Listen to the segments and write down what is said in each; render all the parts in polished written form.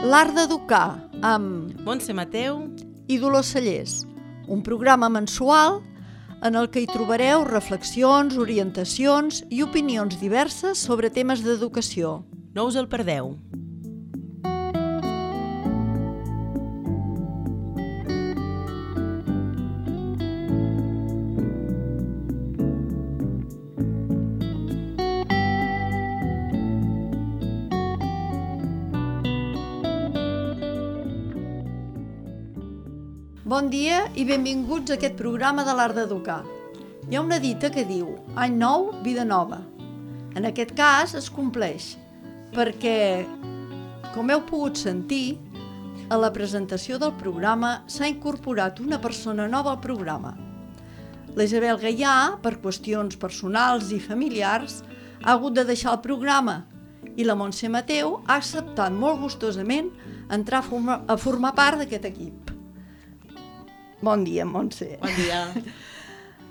L'Art d'Educar amb Montse Mateu i Dolors Cellers, un programa mensual en el que hi trobareu reflexions, orientacions i opinions diverses sobre temes d'educació. No us el perdeu. Bon dia i benvinguts a aquest programa de l'Art d'Educar. Hi ha una dita que diu any nou, vida nova. En aquest cas es compleix, perquè, com heu pogut sentir, a la presentació del programa s'ha incorporat una persona nova al programa. La Isabel Gaià, per qüestions personals i familiars, ha hagut de deixar el programa i la Montse Mateu ha acceptat molt gustosament entrar a formar part d'aquest equip. Bon dia, Montse. Bon dia.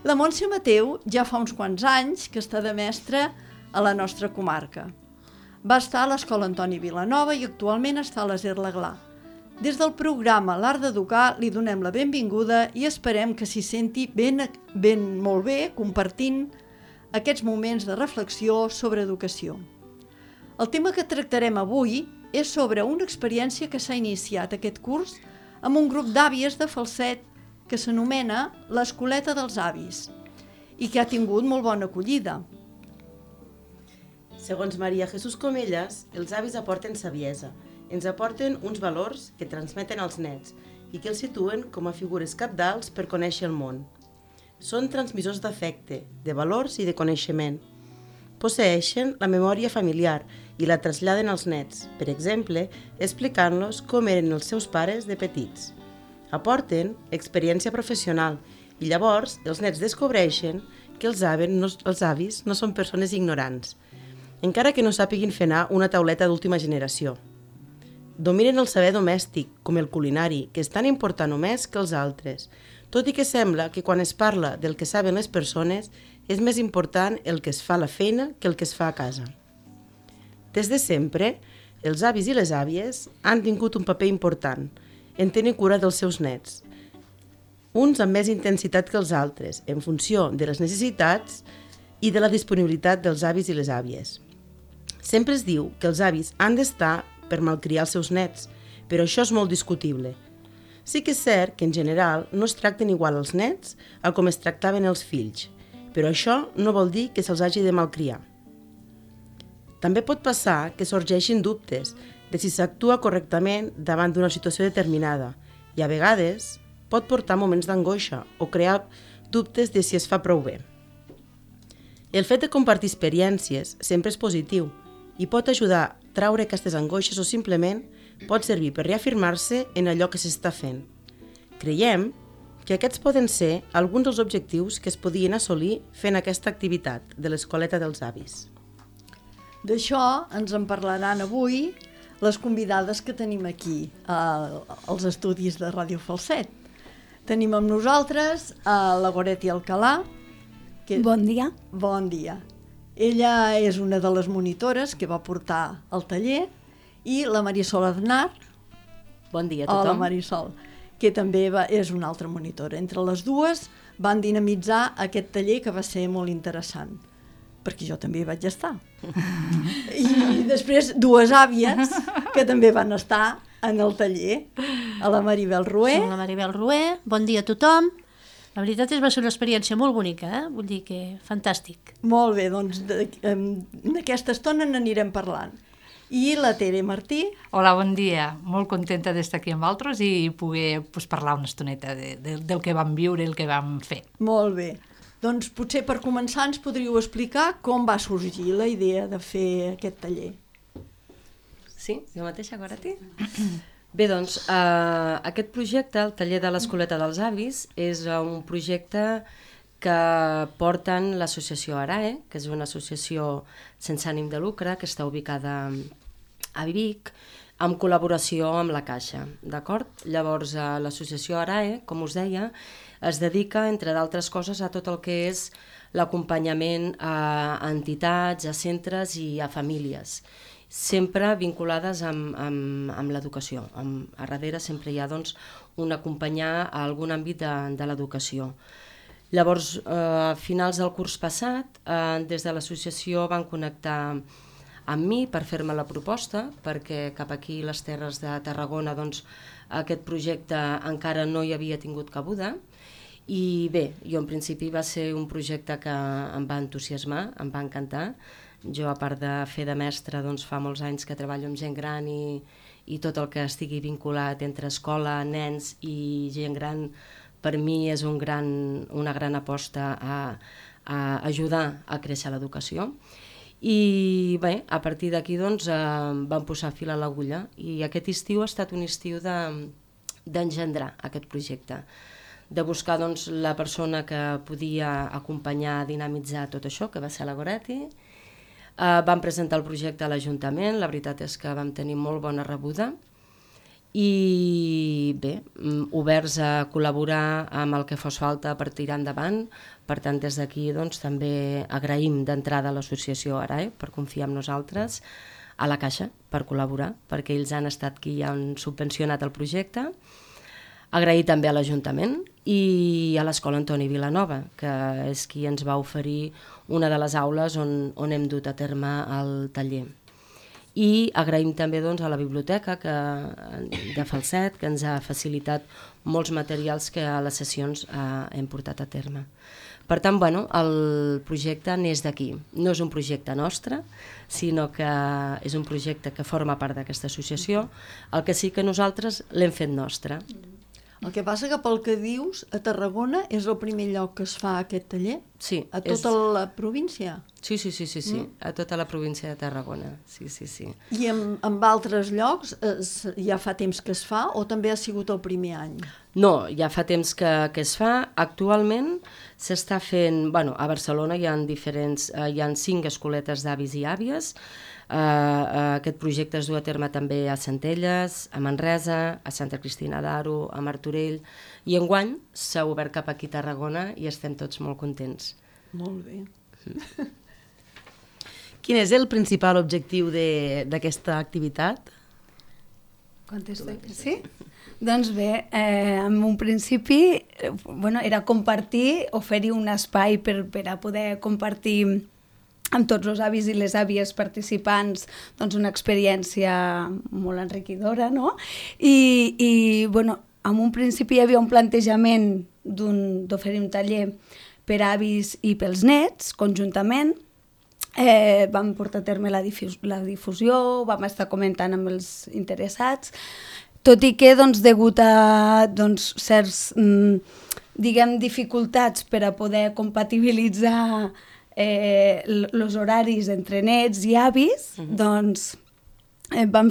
La Montse Mateu ja fa uns quants anys que està de mestra a la nostra comarca. Va estar a l'Escola Antoni Vilanova i actualment està a l'Aser l'Aglà. Des del programa L'Art d'Educar li donem la benvinguda i esperem que s'hi senti molt bé compartint aquests moments de reflexió sobre educació. El tema que tractarem avui és sobre una experiència que s'ha iniciat aquest curs amb un grup d'àvies de Falset que s'anomena l'Escoleta dels Avis i que ha tingut molt bona acollida. Segons Maria Jesús Comellas, els avis aporten saviesa, ens aporten uns valors que transmeten als nets i que els situen com a figures cabdals per conèixer el món. Són transmissors d'afecte, de valors i de coneixement. Posseeixen la memòria familiar i la traslladen als nets, per exemple, explicant-los com eren els seus pares de petits. Aporten experiència professional i llavors els nets descobreixen que els avis no són persones ignorants, encara que no sàpiguin fer anar una tauleta d'última generació. Dominen el saber domèstic, com el culinari, que és tan important o més que els altres, tot i que sembla que quan es parla del que saben les persones és més important el que es fa a la feina que el que es fa a casa. Des de sempre, els avis i les àvies han tingut un paper important en tenir cura dels seus nets, uns amb més intensitat que els altres, en funció de les necessitats i de la disponibilitat dels avis i les àvies. Sempre es diu que els avis han d'estar per malcriar els seus nets, però això és molt discutible. Sí que és cert que en general no es tracten igual els nets a com es tractaven els fills, però això no vol dir que se'ls hagi de malcriar. També pot passar que sorgeixin dubtes de si s'actua correctament davant d'una situació determinada i a vegades pot portar moments d'angoixa o crear dubtes de si es fa prou bé. El fet de compartir experiències sempre és positiu i pot ajudar a traure aquestes angoixes o simplement pot servir per reafirmar-se en allò que s'està fent. Creiem que aquests poden ser alguns dels objectius que es podien assolir fent aquesta activitat de l'Escoleta dels Avis. D'això ens en parlaran avui les convidades que tenim aquí als estudis de Ràdio Falset. Tenim amb nosaltres la Goretti Alcalà. Bon dia. Bon dia. Ella és una de les monitores que va portar el taller i la Marisol Aznar. Bon dia a tothom. Hola, Marisol, que també és una altra monitora. Entre les dues van dinamitzar aquest taller que va ser molt interessant, perquè jo també hi vaig estar. I després dues àvies que també van estar en el taller, a la Maribel Rué. Som la Maribel Rué, bon dia a tothom. La veritat va ser una experiència molt bonica, vull dir que fantàstic. Molt bé, doncs d'aquesta estona n'anirem parlant. I la Tere Martí. Hola, bon dia. Molt contenta d'estar aquí amb altres i poder parlar una estoneta del que vam viure i el que vam fer. Molt bé. Doncs potser per començar ens podríeu explicar com va sorgir la idea de fer aquest taller. Sí, jo mateixa, Goretti? Bé, doncs, aquest projecte, el taller de l'Escoleta dels Avis, és un projecte que porten l'associació ARAE, que és una associació sense ànim de lucre, que està ubicada a Vic, en col·laboració amb la Caixa, d'acord? Llavors, l'associació ARAE, com us deia, es dedica, entre d'altres coses, a tot el que és l'acompanyament a entitats, a centres i a famílies. sempre vinculades amb l'educació. A darrere sempre hi ha doncs, un acompanyar a algun àmbit de l'educació. Llavors, a finals del curs passat, des de l'associació van connectar amb mi per fer-me la proposta, perquè cap aquí, les Terres de Tarragona, doncs, aquest projecte encara no hi havia tingut cabuda. I bé, jo en principi va ser un projecte que em va entusiasmar, em va encantar. Jo, a part de fer de mestra, doncs, fa molts anys que treballo amb gent gran i tot el que estigui vinculat entre escola, nens i gent gran, per mi és una gran aposta a ajudar a créixer l'educació. I bé, a partir d'aquí doncs, vam posar fil a l'agulla i aquest estiu ha estat un estiu d'engendrar aquest projecte, de buscar doncs, la persona que podia acompanyar a dinamitzar tot això, que va ser la Goretti. Vam presentar el projecte a l'Ajuntament, la veritat és que vam tenir molt bona rebuda i bé, oberts a col·laborar amb el que fos falta per tirar endavant. Per tant, des d'aquí doncs, també agraïm d'entrada a l'associació ARAE per confiar en nosaltres, a la Caixa per col·laborar, perquè ells han estat qui han subvencionat el projecte. Agrair també a l'Ajuntament i a l'Escola Antoni Vilanova, que és qui ens va oferir una de les aules on hem dut a terme el taller. I agraïm també doncs, a la biblioteca de Falset, que ens ha facilitat molts materials que a les sessions hem portat a terme. Per tant, bueno, el projecte neix d'aquí. No és un projecte nostre, sinó que és un projecte que forma part d'aquesta associació, el que sí que nosaltres l'hem fet nostre. El que passa que pel que dius, a Tarragona és el primer lloc que es fa aquest taller? Sí. A tota la província? Sí, a tota la província de Tarragona, sí. I en altres llocs ja fa temps que es fa o també ha sigut el primer any? No, ja fa temps que es fa. Actualment s'està fent, a Barcelona hi ha 5 escoletes d'avis i àvies. Aquest projecte es du a terme també a Centelles, a Manresa, a Santa Cristina d'Aro, a Martorell, i enguany s'ha obert cap aquí a Tarragona i estem tots molt contents. Molt bé. Quin és el principal objectiu d'aquesta activitat? Contesto, sí? Doncs bé, en un principi era compartir, oferir un espai per a poder compartir amb tots els avis i les àvies participants doncs una experiència molt enriquidora, no? I en un principi hi havia un plantejament d'oferir un taller per a avis i pels nets, conjuntament. Vam portar a terme la difusió, vam estar comentant amb els interessats, tot i que, degut a certs, dificultats per a poder compatibilitzar els horaris entre nets i avis, vam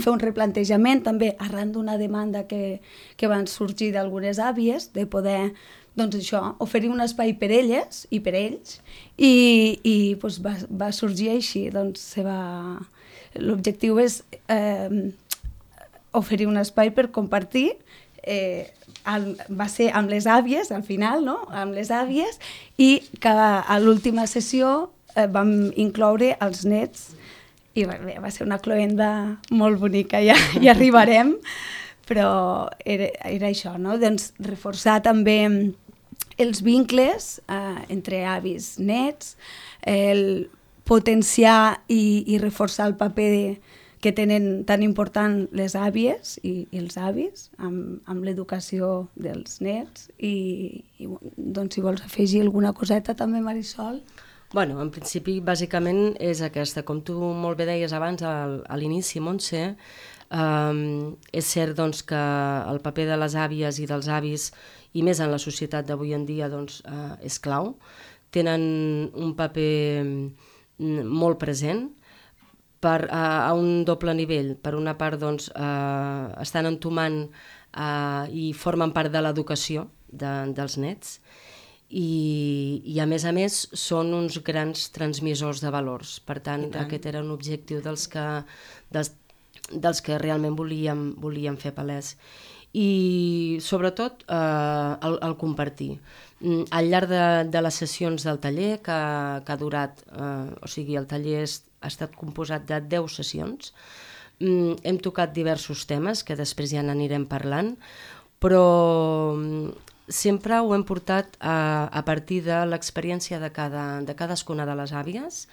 fer un replantejament també arran d'una demanda que van sorgir d'algunes àvies de poder oferir un espai per elles i per ells i va sorgir així. L'objectiu és oferir un espai per compartir, va ser amb les àvies al final, no? Amb les àvies, i que a l'última sessió vam incloure els nets i va ser una cloenda molt bonica, ja hi arribarem, però era això, no? Reforçar també els vincles entre avis nets, potenciar i reforçar el paper que tenen tan important les àvies i els avis amb l'educació dels nets i si vols afegir alguna coseta també, Marisol. En principi, bàsicament és aquesta. Com tu molt bé deies abans a l'inici, Montse, és cert que el paper de les àvies i dels avis, i més en la societat d'avui en dia, és clau. Tenen un paper molt present a un doble nivell. Per una part, estan entomant i formen part de l'educació dels nets i a més són uns grans transmissors de valors. Per tant, aquest era un objectiu dels que realment volíem fer palès. I sobretot el compartir. Al llarg de les sessions del taller que ha durat, el taller ha estat composat de 10 sessions. Hem tocat diversos temes, que després ja n'anirem parlant, però sempre ho hem portat a partir de l'experiència de cadascuna de les àvies,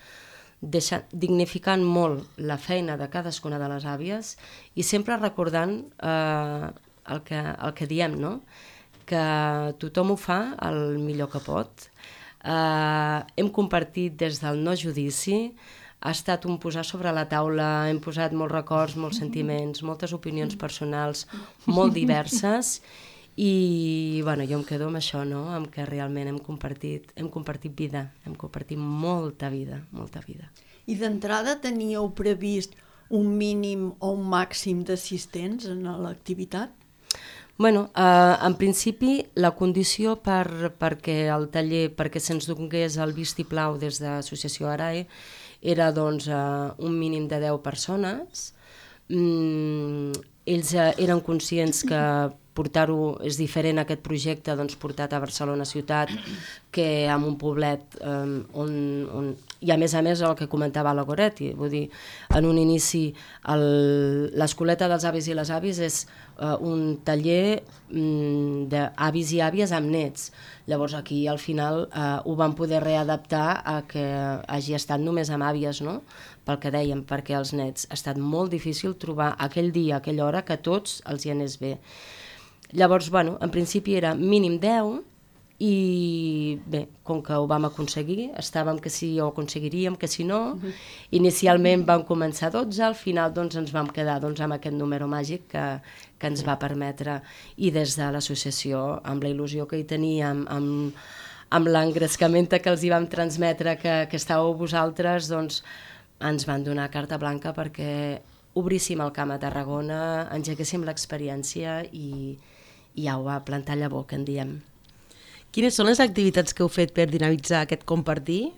dignificant molt la feina de cadascuna de les àvies i sempre recordant el que diem, no? Que tothom ho fa el millor que pot. Hem compartit des del no judici, ha estat un posar sobre la taula, hem posat molts records, molts sentiments, moltes opinions personals molt diverses i bueno, jo em quedo amb això, no? Amb que realment hem compartit vida, hem compartit molta vida. I d'entrada teníeu previst un mínim o un màxim d'assistents en l'activitat? Bueno, en principi la condició perquè el taller, perquè se'ns donés el vistiplau des de l'Associació ARAE era doncs un mínim de 10 persones. Ells eren conscients que portar-ho és diferent aquest projecte doncs, portat a Barcelona ciutat que en un poblet on i a més el que comentava la Goretti, vull dir, en un inici l'escoleta dels avis i les àvies és un taller d'avis i àvies amb nets. Llavors aquí al final ho vam poder readaptar a que hagi estat només amb àvies, no? Pel que dèiem, perquè els nets ha estat molt difícil trobar aquell dia, aquella hora, que a tots els hi anés bé. Llavors, bueno, en principi era mínim 10 i bé, com que ho vam aconseguir, estàvem que sí ho aconseguiríem, que si no, inicialment vam començar 12, al final doncs, ens vam quedar doncs, amb aquest número màgic que ens va permetre, i des de l'associació, amb la il·lusió que hi teníem, amb l'engrescament que els hi vam transmetre que estàveu vosaltres, doncs ens van donar carta blanca perquè obríssim el camp a Tarragona, engeguéssim l'experiència i ja ho va plantar llavor, que en diem. Quines són les activitats que heu fet per dinamitzar aquest compartir?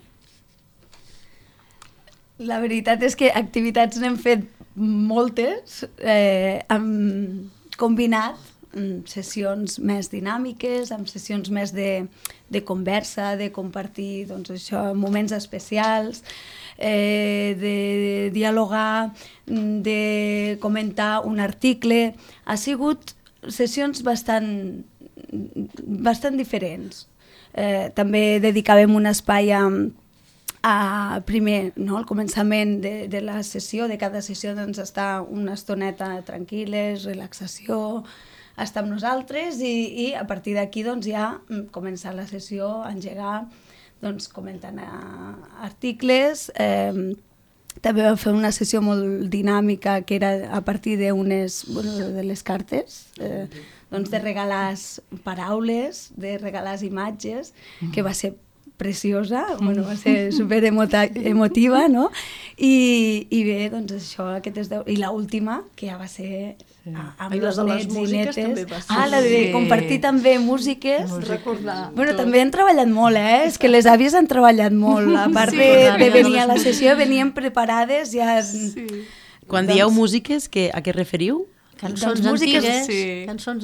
La veritat és que activitats n'hem fet moltes, hem combinat sessions més dinàmiques, amb sessions més de conversa, de compartir doncs, això, moments especials, de dialogar, de comentar un article. Ha sigut sessions bastant diferents. També dedicàvem un espai primer, no, al començament de la sessió, de cada sessió doncs, estar una estoneta tranquil·les, relaxació, estar amb nosaltres i a partir d'aquí doncs, ja començar la sessió, engegar, doncs, comentant articles. També vam fer una sessió molt dinàmica que era a partir de les cartes, doncs de regalar paraules, de regalar imatges, que va ser preciosa, va ser super emotiva, no? I bé, doncs això, i l'última, que ja va ser amb els nets i netes. La de compartir també músiques. Recordar. També han treballat molt, És que les àvies han treballat molt. A part de venir a la sessió, venien preparades ja... Quan dieu músiques, a què referiu? Cançons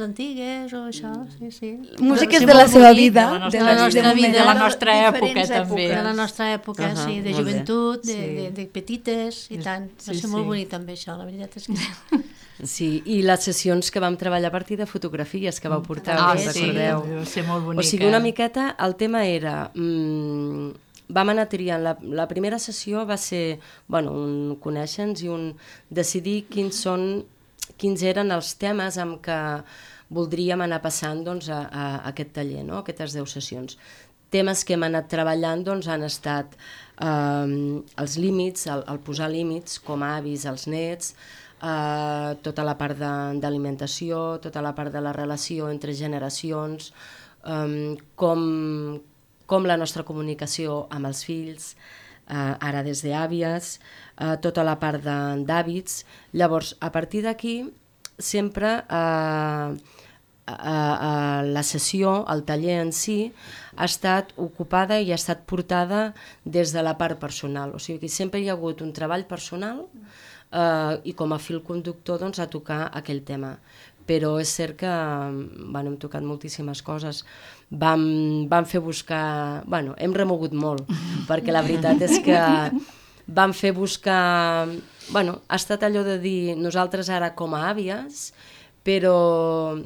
antigues o això, sí. Músiques de la seva vida. De la nostra època, també. De la nostra època, sí, de joventut, de petites i tant. Va ser molt bonic també això, la veritat és que... Sí, i les sessions que vam treballar a partir de fotografies que vau portar, us recordeu? Va ser molt bonica. O sigui, una miqueta, el tema era... vam anar triant, la primera sessió va ser, un conèixer-nos i un decidir quins eren els temes amb què voldríem anar passant doncs, a aquest taller, no? Aquestes 10 sessions. Temes que hem anat treballant doncs, han estat els límits, el posar límits com a avis als nets, tota la part d'alimentació, tota la part de la relació entre generacions, com la nostra comunicació amb els fills, ara des d'àvies, tota la part d'hàbits. Llavors, a partir d'aquí, sempre la sessió, el taller en si, ha estat ocupada i ha estat portada des de la part personal. O sigui que sempre hi ha hagut un treball personal i com a fil conductor doncs, a tocar aquell tema. Però és cert que hem tocat moltíssimes coses. Vam fer buscar... hem remogut molt, perquè la veritat és que vam fer buscar... Bueno, ha estat allò de dir nosaltres ara com a àvies, però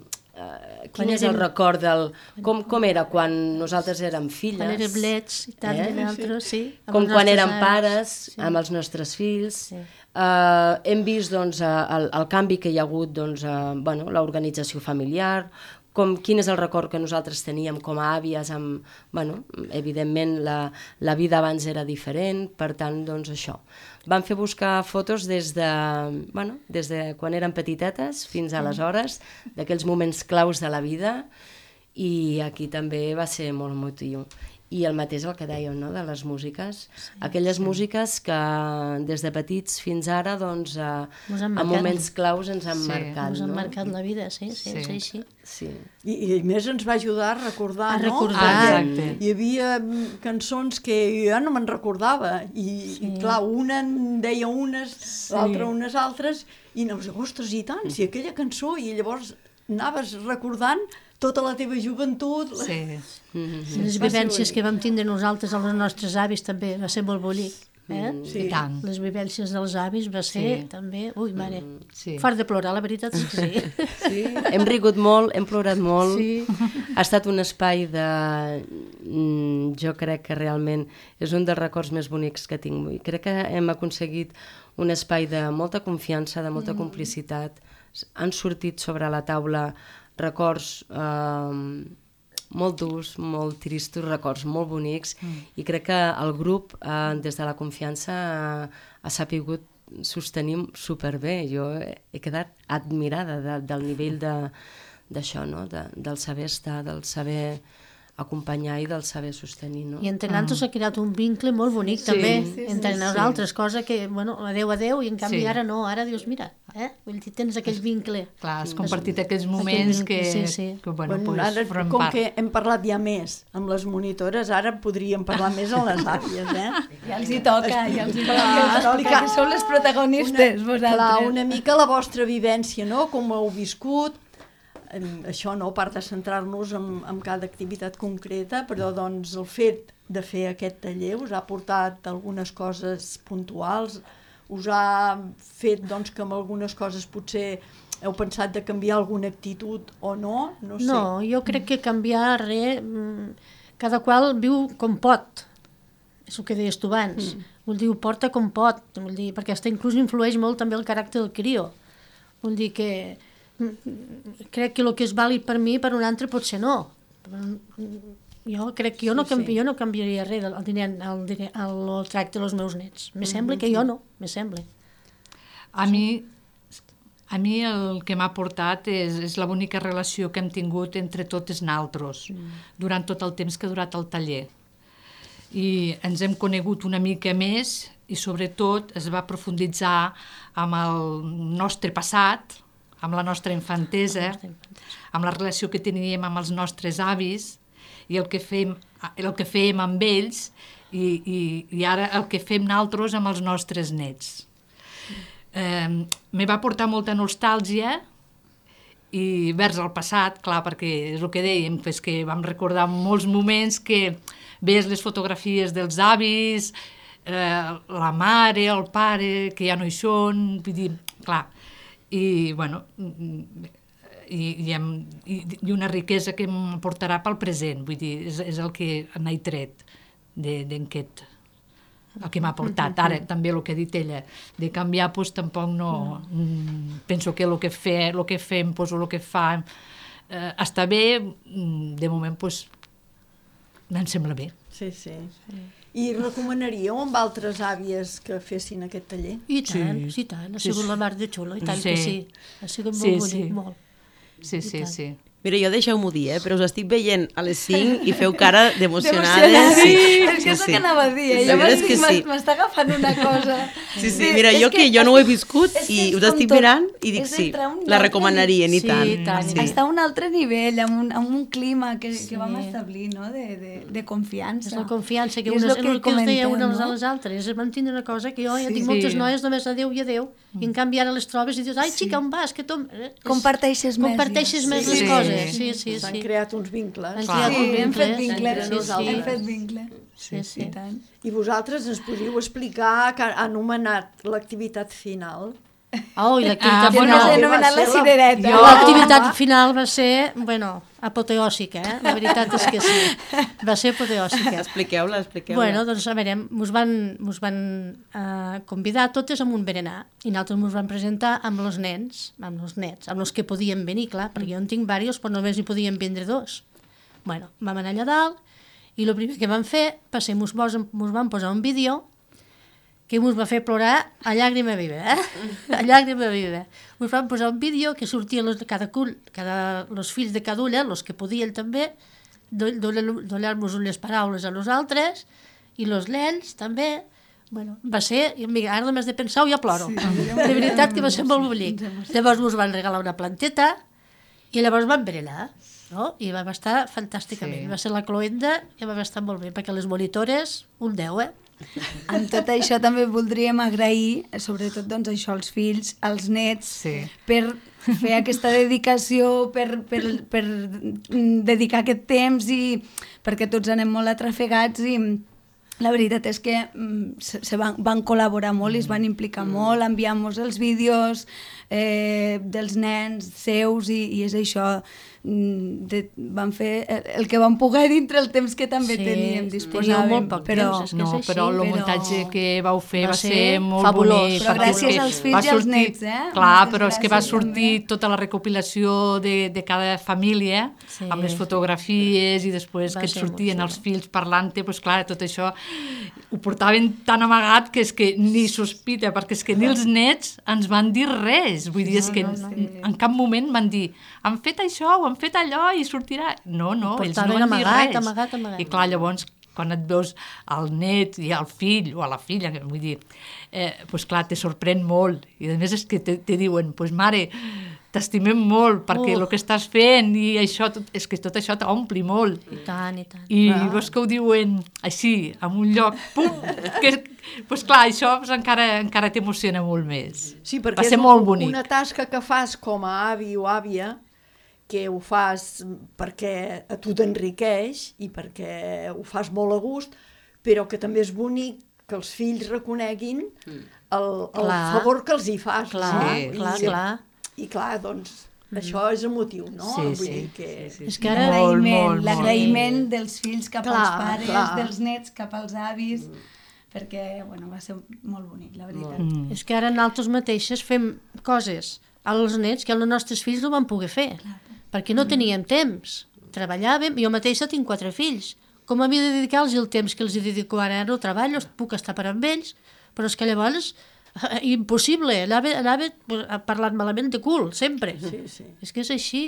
quin és el record del... Com era quan nosaltres érem filles? Quan érem blets i tant, i nosaltres, sí. Com quan érem pares, amb els nostres fills. Hem vist el canvi que hi ha hagut, l'organització familiar, quin és el record que nosaltres teníem com a àvies, evidentment la vida abans era diferent, per tant, doncs això. Vam fer buscar fotos des de quan eren petitetes fins aleshores, d'aquells moments claus de la vida, i aquí també va ser molt emotiu. I el mateix el que dèiem, no?, de les músiques. Aquelles músiques que des de petits fins ara, doncs, a moments claus ens han marcat. Ens han marcat la vida, sí. I més ens va ajudar a recordar, no? Exacte. Hi havia cançons que jo no me'n recordava, i clar, una en deia unes, l'altra unes altres, i anaves, ostres, i tant, si aquella cançó, i llavors anaves recordant tota la teva joventut. Les vivències que vam tindre nosaltres amb els nostres avis també va ser molt bonic. I tant. Les vivències dels avis va ser també... Ui, mare, fort de plorar, la veritat és que sí. Hem rigut molt, hem plorat molt. Ha estat un espai de... Jo crec que realment és un dels records més bonics que tinc. Crec que hem aconseguit un espai de molta confiança, de molta complicitat. Han sortit sobre la taula records molt durs, molt tristos, records molt bonics, i crec que el grup, des de la confiança, ha sapigut sostenir superbé. Jo he quedat admirada del nivell d'això, no? Del saber estar, del saber acompanyar i del saber sostenir, no? I entre nosaltres s'ha creat un vincle molt bonic també, entre nosaltres, cosa que, bueno, adeu, i en canvi ara no, ara dius, mira, vull dir, tens aquell vincle. Clar, has compartit aquells moments que Ara, com que hem parlat ja més amb les monitores, ara podríem parlar més amb les àvies, Ja els hi toca, que sou les protagonistes, vosaltres. Clar, una mica la vostra vivència, no?, com heu viscut, això, no?, a part de centrar-nos en cada activitat concreta, però doncs el fet de fer aquest taller us ha portat algunes coses puntuals, us ha fet doncs que amb algunes coses potser heu pensat de canviar alguna actitud o no? No sé. No, jo crec que canviar res, cada qual viu com pot, és el que deies tu abans, vull dir, ho porta com pot, vull dir, perquè inclús influeix molt també el caràcter del crió, vull dir que crec que el que és vàlid per mi, per un altre potser no. Jo crec que jo no canviaria res el tracte dels meus nets. Me sembla que jo no, me sembla. A mi el que m'ha portat és la bonica relació que hem tingut entre totes naltros durant tot el temps que ha durat el taller. I ens hem conegut una mica més i sobretot es va profunditzar amb el nostre passat, amb la nostra infantesa, amb la relació que teníem amb els nostres avis i el que fèiem amb ells i ara el que fem nosaltres amb els nostres nets. Me va portar molta nostàlgia i vers el passat, clar, perquè és el que dèiem, que vam recordar molts moments que veies les fotografies dels avis, la mare, el pare, que ja no hi són, vull dir, clar, i bueno, i una riquesa que em portarà pel present, vull dir, és el que n'he tret d'aquest, el que m'ha portat. Ara també el que ha dit ella, de canviar, doncs tampoc no, penso que el que fem, doncs el que fa està bé, de moment doncs em sembla bé. Sí. I recomanaríeu amb altres àvies que fessin aquest taller? I tant, ha sigut la mar de xulo, i tant que sí. Ha sigut molt bonic, molt. Sí. Mira, jo deixeu-m'ho dir, però us estic veient a les 5 i feu cara d'emocionades. Sí, és que és el que anava a dir. Jo m'està agafant una cosa. Sí, mira, jo no ho he viscut i us estic mirant i dic sí, la recomanarien i tant. Està a un altre nivell, amb un clima que vam establir, no?, de confiança. És la confiança, que el que es deia unes a les altres. Vam tindre una cosa que jo ja tinc moltes noies només adéu i adéu, i en canvi ara les trobes i dius, ai, xica, on vas? Comparteixes més les coses. sí. S'han creat uns vincles. Han Clar. creat Sí, un hem fet vincle. vincle, entre nosaltres. hem fet vincle. Sí, sí. I tant. I vosaltres ens podríeu explicar que ha anomenat l'activitat final? Oh, i l'activitat Que bueno, no s'ha final. anomenat la va ser la- cirereta. Jo- L'activitat final va ser, bueno, apoteòsica, La veritat és que sí. Va ser apoteòsica. Expliqueu-la, expliqueu-la. Bueno, doncs a veure, mos van convidar totes a un berenar i nosaltres mos vam presentar amb els nens, amb els que podien venir, clar, perquè jo en tinc diversos, però només hi podien vindre 2. Bueno, vam anar allà dalt i el primer que vam fer va ser mos van posar un vídeo que mos va fer plorar a llàgrima viva, A llàgrima viva. Mos van posar un vídeo que sortien els fills de cada ulla, els que podien també, donar-nos unes paraules a nosaltres, i els nens també. Bueno, va ser, mira, ara només de pensar-ho ja ploro. De veritat que va ser molt bonic. Llavors mos van regalar una planteta i llavors vam berenar, no? I vam estar fantàsticament. Sí. Va ser la cloenda i vam estar molt bé, perquè les monitores, un 10, Amb tot això també voldríem agrair, sobretot doncs, això als fills, als nets, Sí. per fer aquesta dedicació, per dedicar aquest temps i perquè tots anem molt atrafegats i la veritat és que se van col·laborar molt i es van implicar molt, enviant-nos els vídeos dels nens seus i és això, van fer el que van poder dintre el temps que també teníem, disposàvem. molt poc temps, és que No, és així, però el però muntatge que vau fer va va ser ser molt fabulós. bonic. Però perquè gràcies és que als fills va i als sortir- nets, Clar, Moltes però és que va gràcies, sortir també. tota la recopilació de cada família, Sí. amb les fotografies i després Va que et ser sortien molt els fills parlant-te, doncs clar, tot això ho portaven tan amagat que és que ni sospita, perquè és que ni els nets ens van dir res. Vull dir, és que en cap moment van dir han fet això o han fet allò i sortirà... No, ells no portaven van dir amagat, res. amagat. I clar, llavors, quan et veus al net i al fill o a la filla, vull dir, doncs clar, te sorprèn molt. I a més és que te diuen, doncs mare, t'estimem molt perquè el que estàs fent i això, és que tot això t'ompli molt. I tant, i tant. I veus que ho diuen així, en un lloc, pum, doncs clar, això doncs, encara t'emociona molt més. Sí, perquè va ser és molt bonic. una tasca que fas com a avi o àvia, que ho fas perquè a tu t'enriqueix i perquè ho fas molt a gust, però que també és bonic que els fills reconeguin el favor que els hi fas. Clar, no? clar. I clar, doncs, això és emotiu, no? Sí, Vull sí, dir que... És que ara... L'agraïment dels fills cap als Clar, pares, clar. dels nets cap als avis, perquè bueno, va ser molt bonic, la veritat. És que ara nosaltres mateixes fem coses als nets que els nostres fills no van poder fer, perquè no teníem temps. Treballàvem, jo mateixa tinc 4 fills. Com havia de dedicar-los el temps que els dedico ara? No treballo, puc estar per amb ells, però és que llavors impossible, anava parlant malament de cul, sempre. Sí. És que és així.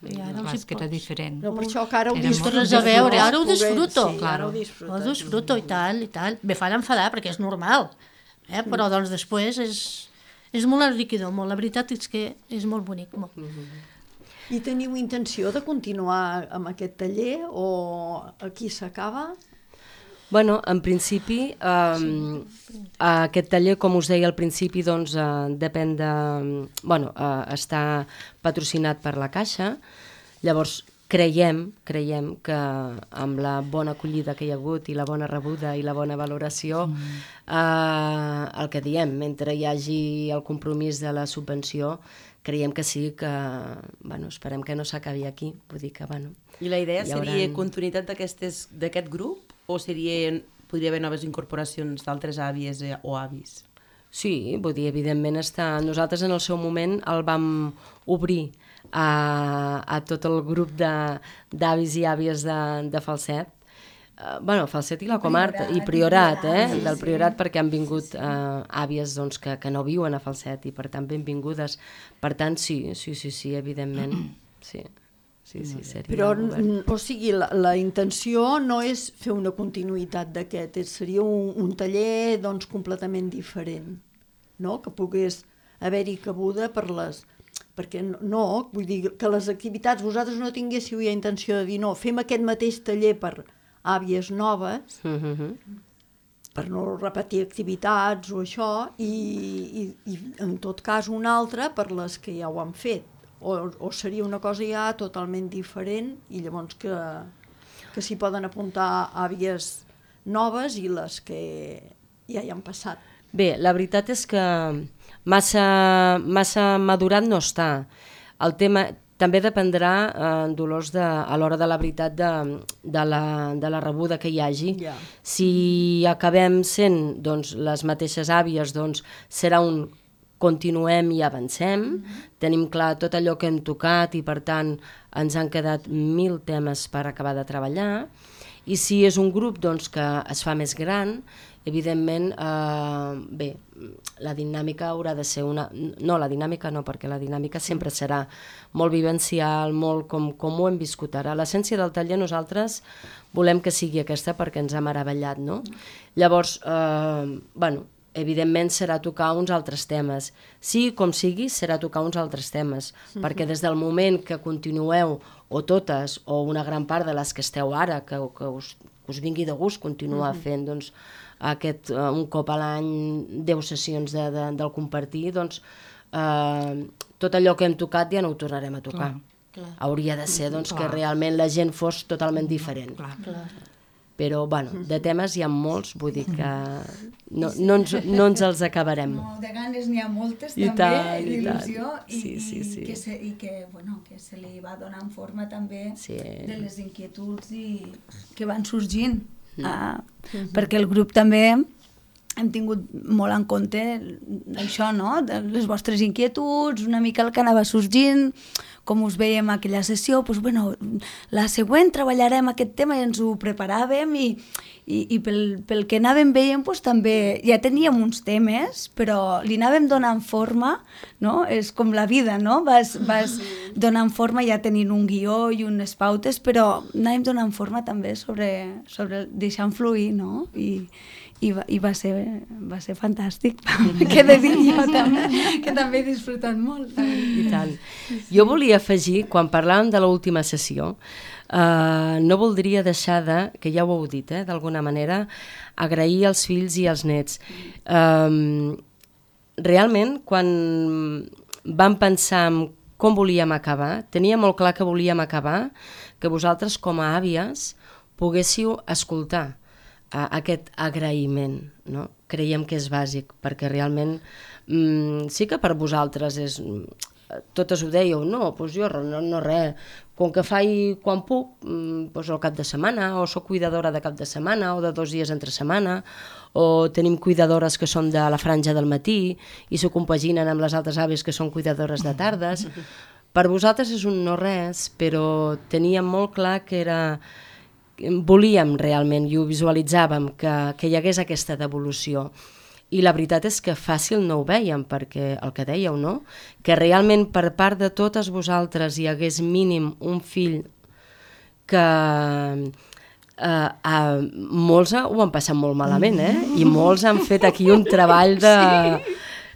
I ara Clar, és que era diferent. No, per això que ara ho Era disfruto. molt res a veure, ara ho Poder- disfruto. Sí, Claro. ara ho Ho disfruto. disfruto i tal, i tal. Me fan enfadar perquè és normal, però doncs després és molt enriquidor, molt. La veritat és que és molt bonic, molt. I teniu intenció de continuar amb aquest taller o aquí s'acaba? Bueno, en principi, aquest taller, com us deia al principi, doncs, depèn de... Bueno, està patrocinat per la Caixa, llavors creiem que amb la bona acollida que hi ha hagut i la bona rebuda i la bona valoració, el que diem, mentre hi hagi el compromís de la subvenció, creiem que sí, que bueno, esperem que no s'acabi aquí, vull dir que bueno... I la idea hi seria hauran- continuïtat d'aquest grup o podria haver noves incorporacions d'altres àvies o avis? Sí, vull dir, evidentment nosaltres en el seu moment el vam obrir a tot el grup d'avis i àvies de Falset, Falset i la comarca, i Priorat, del Priorat, perquè han vingut àvies doncs, que no viuen a Falset i per tant benvingudes. Per tant, sí, evidentment, sí, seria... Però, o sigui, la intenció no és fer una continuïtat d'aquest, seria un taller doncs, completament diferent, no? Que pogués haver-hi cabuda per les... Perquè no, vull dir que les activitats, vosaltres no tinguéssiu ja intenció de dir no, fem aquest mateix taller per àvies noves, per no repetir activitats o això, i en tot cas un altre per les que ja ho han fet, o seria una cosa ja totalment diferent i llavors que s'hi poden apuntar àvies noves i les que ja hi han passat. Bé, la veritat és que massa madurat no està. El tema també dependrà, Dolors, a l'hora de la veritat de la rebuda que hi hagi. Ja. Si acabem sent doncs, les mateixes àvies, doncs serà un continuem i avancem, tenim clar tot allò que hem tocat i per tant ens han quedat 1000 temes per acabar de treballar, i si és un grup doncs, que es fa més gran, evidentment, bé, la dinàmica haurà de ser una... No, la dinàmica no, perquè la dinàmica sempre serà molt vivencial, molt com ho hem viscut ara. L'essència del taller nosaltres volem que sigui aquesta perquè ens ha meravellat, no? Llavors, bueno, evidentment serà tocar uns altres temes. Sí, com sigui, serà tocar uns altres temes, perquè des del moment que continueu, o totes, o una gran part de les que esteu ara, que us vingui de gust continuar fent, doncs, un cop a l'any 10 sessions del compartir, doncs, tot allò que hem tocat ja no ho tornarem a tocar. Hauria de ser doncs, que realment la gent fos totalment diferent. Però, bueno, de temes hi ha molts, vull dir que no ens els acabarem. No, de ganes n'hi ha moltes I també, tant, d'il·lusió, sí. i que se li va donant forma també de les inquietuds que van sorgint. Perquè el grup també hem tingut molt en compte això, no? De les vostres inquietuds, una mica el que anava sorgint, com us veiem a aquella sessió, doncs, bueno, la següent treballarem aquest tema i ens ho preparàvem i pel que anàvem veient doncs, també ja teníem uns temes, però li anàvem donant forma, no? És com la vida, no? Vas donant forma ja tenint un guió i unes pautes, però anàvem donant forma també sobre deixant fluir, no? I va ser fantàstic, que he de dir jo també, que també he disfrutat molt. I tant. Jo volia afegir, quan parlàvem de l'última sessió, no voldria deixar que ja ho heu dit, d'alguna manera, agrair als fills i als nets. Realment, quan vam pensar en com volíem acabar, tenia molt clar que volíem acabar, que vosaltres com a àvies poguéssiu escoltar aquest agraïment, no? Creiem que és bàsic, perquè realment sí que per vosaltres és... Totes ho dèieu, no, doncs jo no res, com que faig quan puc, doncs al cap de setmana, o soc cuidadora de cap de setmana, o de 2 dies entre setmana, o tenim cuidadores que són de la franja del matí i s'ho compaginen amb les altres àvies que són cuidadores de tardes. Per vosaltres és un no res, però teníem molt clar que era... Volíem realment, i ho visualitzàvem, que hi hagués aquesta devolució. I la veritat és que fàcil no ho vèiem, perquè el que dèieu, no? Que realment per part de totes vosaltres hi hagués mínim un fill que molts ho han passat molt malament, i molts han fet aquí un treball de...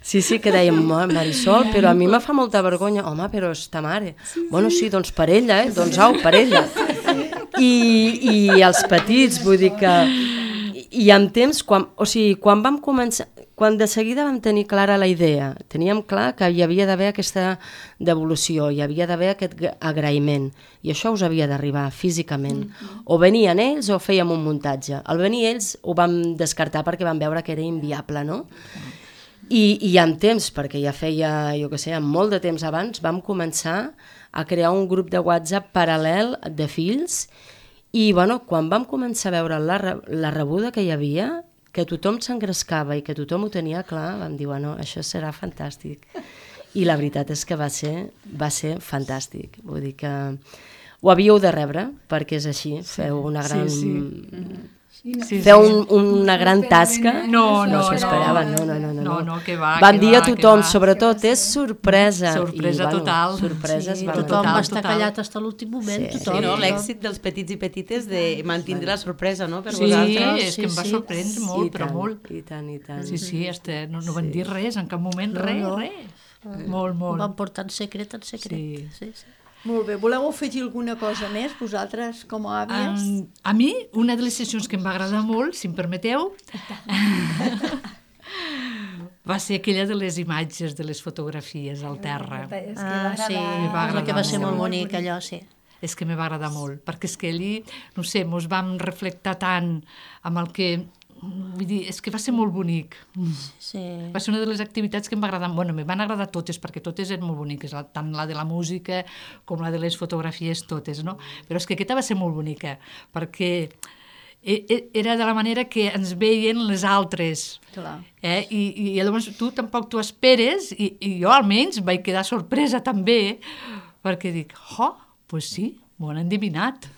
Sí, que dèiem, Marisol, però a mi me fa molta vergonya. Home, però és ta mare. Bueno, sí, doncs per ella, doncs au, per ella. I els petits, vull dir que... I amb temps, quan vam començar, quan de seguida vam tenir clara la idea, teníem clar que hi havia d'haver aquesta devolució, hi havia d'haver aquest agraïment, i això us havia d'arribar físicament. O venien ells o fèiem un muntatge. Al venir ells ho vam descartar perquè vam veure que era inviable, no? I amb temps, perquè ja feia, jo què sé, molt de temps abans, vam començar a crear un grup de WhatsApp paral·lel de fills. I bueno, quan vam començar a veure la rebuda que hi havia, que tothom s'engrescava i que tothom ho tenia clar, vam dir, bueno, això serà fantàstic. I la veritat és que va ser fantàstic. Vull dir que ho havíeu de rebre, perquè és així, feu una gran... Feu una gran tasca. No s'ho esperaven, no, que va. Vam dir a tothom, sobretot, és sorpresa. Sorpresa total. Sorpreses van tothom va estar callat fins a l'últim moment. Sí, no? L'èxit dels petits i petites de mantindre la sorpresa, no? Per vosaltres. Sí, és que em va sorprendre molt, però molt. I tant. Sí, no van dir res, en cap moment, res. Molt. Ho van portar en secret. Sí. Molt bé, voleu afegir alguna cosa més, vosaltres, com a àvies? A mi, una de les sessions que em va agradar molt, si em permeteu, va ser aquella de les imatges, de les fotografies al terra. És que Sí, va és el que va ser agradar molt molt. bonic, allò, sí. És que me va agradar molt, perquè és que allí, no sé, mos vam reflectar tant amb el que... Vull dir, és que va ser molt bonic. Sí. Va ser una de les activitats que em va agradar. Bueno, me van agradar totes, perquè totes eren molt boniques, tant la de la música com la de les fotografies, totes, no? Però és que aquesta va ser molt bonica, perquè era de la manera que ens veien les altres. Clar. I llavors tu tampoc t'ho esperes, i jo almenys vaig quedar sorpresa també, perquè dic, pues sí, m'ho han endevinat.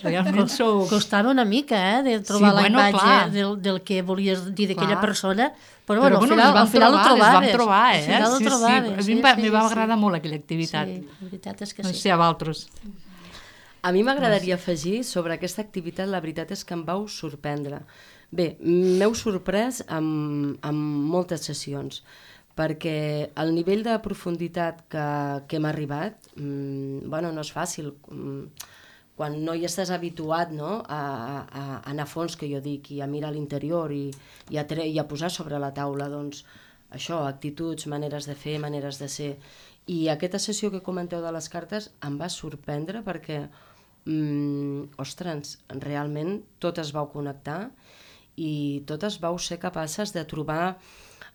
Realment sou... Costava una mica, de trobar Sí, la bueno, imatge clar. del que volies dir d'aquella Clar. persona, però Però bueno, bueno, al final ho trobaves. les vam trobar, Al final ho Sí, trobaves. a mi em va agradar molt aquella activitat. Sí, la veritat és que No sí. sé, a vosaltres. A mi m'agradaria afegir sobre aquesta activitat, la veritat és que em vau sorprendre. Bé, m'heu sorprès amb moltes sessions, perquè el nivell de profunditat que hem arribat, bueno, no és fàcil. Quan no hi estàs habituat, no, a anar a fons, que jo dic, i a mirar l'interior i a posar sobre la taula, doncs, això, actituds, maneres de fer, maneres de ser. I aquesta sessió que comenteu de les cartes em va sorprendre perquè, ostres, realment totes vau connectar i totes vau ser capaces de trobar,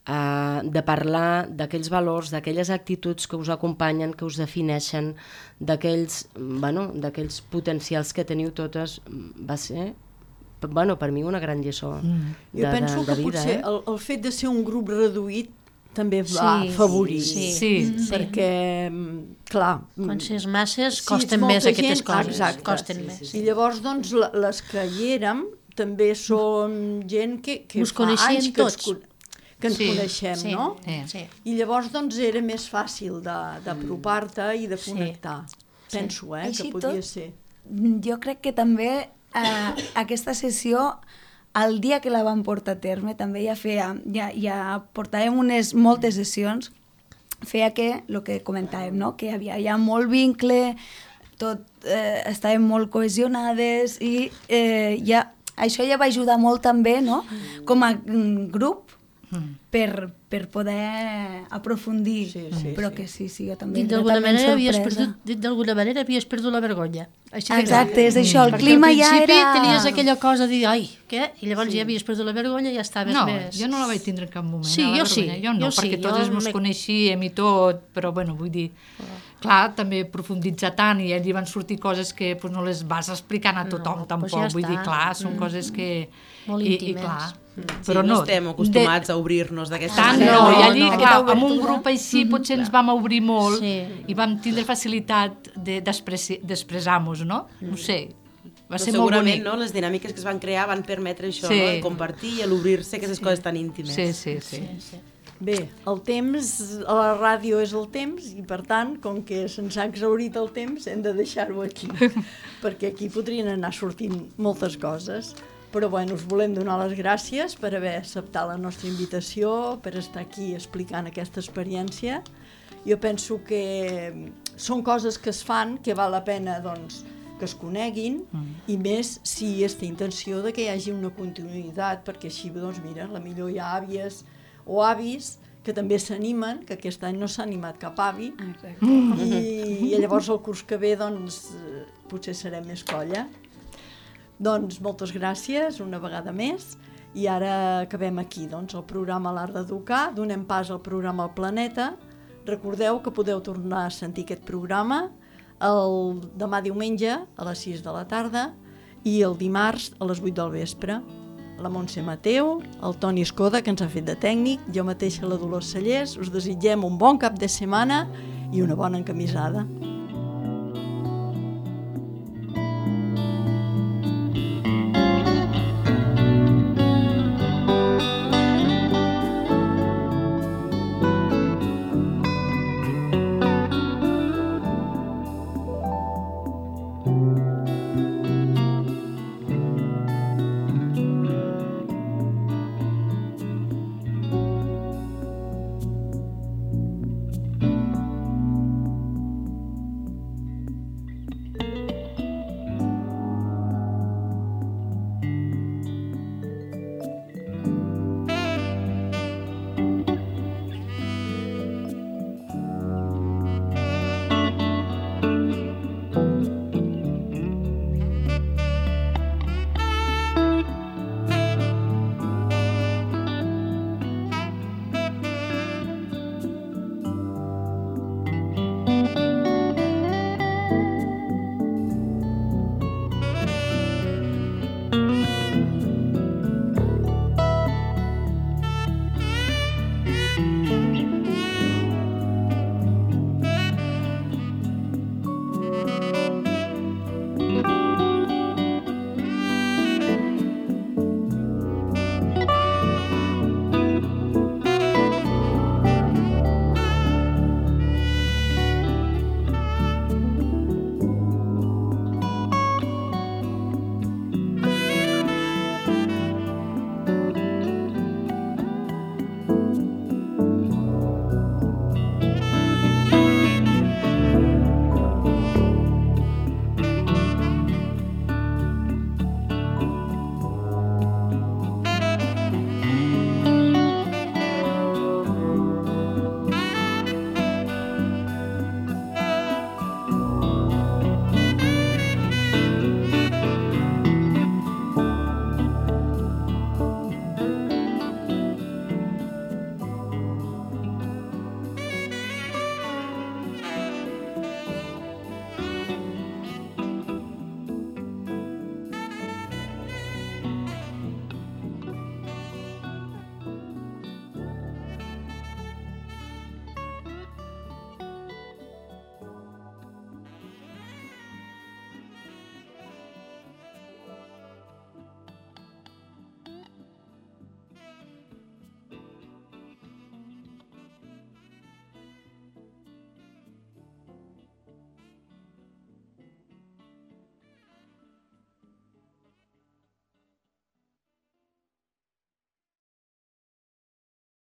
de parlar d'aquells valors, d'aquelles actituds que us acompanyen, que us defineixen, d'aquells potencials que teniu totes. Va ser, per mi, una gran lliçó de vida. Jo penso que potser el fet de ser un grup reduït també va afavorir. Sí. Perquè, clar... Quan s'és masses, si costen ets més molta aquestes gent, coses. exacte. Costen més. I llavors, doncs, les que hi érem també som gent que Us fa coneixien anys tots? que ens Sí. coneixem, Sí. no? Sí. I llavors, doncs, era més fàcil d'apropar-te i de connectar. Penso, que Així podia tot, ser. Jo crec que també aquesta sessió, el dia que la vam portar a terme, també ja portàvem moltes sessions, feia que, el que comentàvem, no? Que hi havia ja molt vincle, estàvem molt cohesionades i això ja va ajudar molt també, no? Com a grup, per poder aprofundir. Però que sí, jo també Dit d'alguna manera havies perdut la vergonya. Així de Exacte, clar. és això, el Perquè clima al ja principi era... tenies aquella cosa de dir, ai, què? I llavors ja havies perdut la vergonya i ja estaves No, més... jo no la vaig tindre en cap moment. Sí, la jo sí, vergonya. Jo no, jo sí, perquè totes jo mos coneixíem i tot, però bueno, vull dir... Clar, també profunditzar tant i allí van sortir coses que no les vas explicant a tothom tampoc. ja Vull dir, està. clar, són coses que... Molt I íntimes. clar, Però no estem acostumats a obrir-nos d'aquesta tant manera. no, i allí, no, clar, aquesta amb un obertura. grup així potser ens vam obrir molt i vam tindre facilitat d'expressar-nos, no? No sé, va ser molt segurament, bonic. no, les dinàmiques que es van crear van permetre això, Sí. no? El compartir i l'obrir-se aquestes coses tan íntimes. Sí. Bé, el temps, a la ràdio és el temps i per tant, com que se'ns ha exhaurit el temps, hem de deixar-ho aquí, perquè aquí podrien anar sortint moltes coses. Però bueno, us volem donar les gràcies per haver acceptat la nostra invitació, per estar aquí explicant aquesta experiència. Jo penso que són coses que es fan, que val la pena, doncs, que es coneguin, i més si hi ha aquesta intenció de que hi hagi una continuïtat, perquè així, doncs mira, la millor hi ha àvies o avis que també s'animen, que aquest any no s'ha animat cap avi, i llavors el curs que ve, doncs, potser serem més colla. Doncs moltes gràcies una vegada més, i ara acabem aquí, doncs, el programa L'Art d'Educar, donem pas al programa El Planeta. Recordeu que podeu tornar a sentir aquest programa el demà diumenge a les 6 de la tarda i el dimarts a les 8 del vespre. La Montse Mateu, el Toni Escoda, que ens ha fet de tècnic, jo mateixa la Dolors Cellers, us desitgem un bon cap de setmana i una bona encamisada.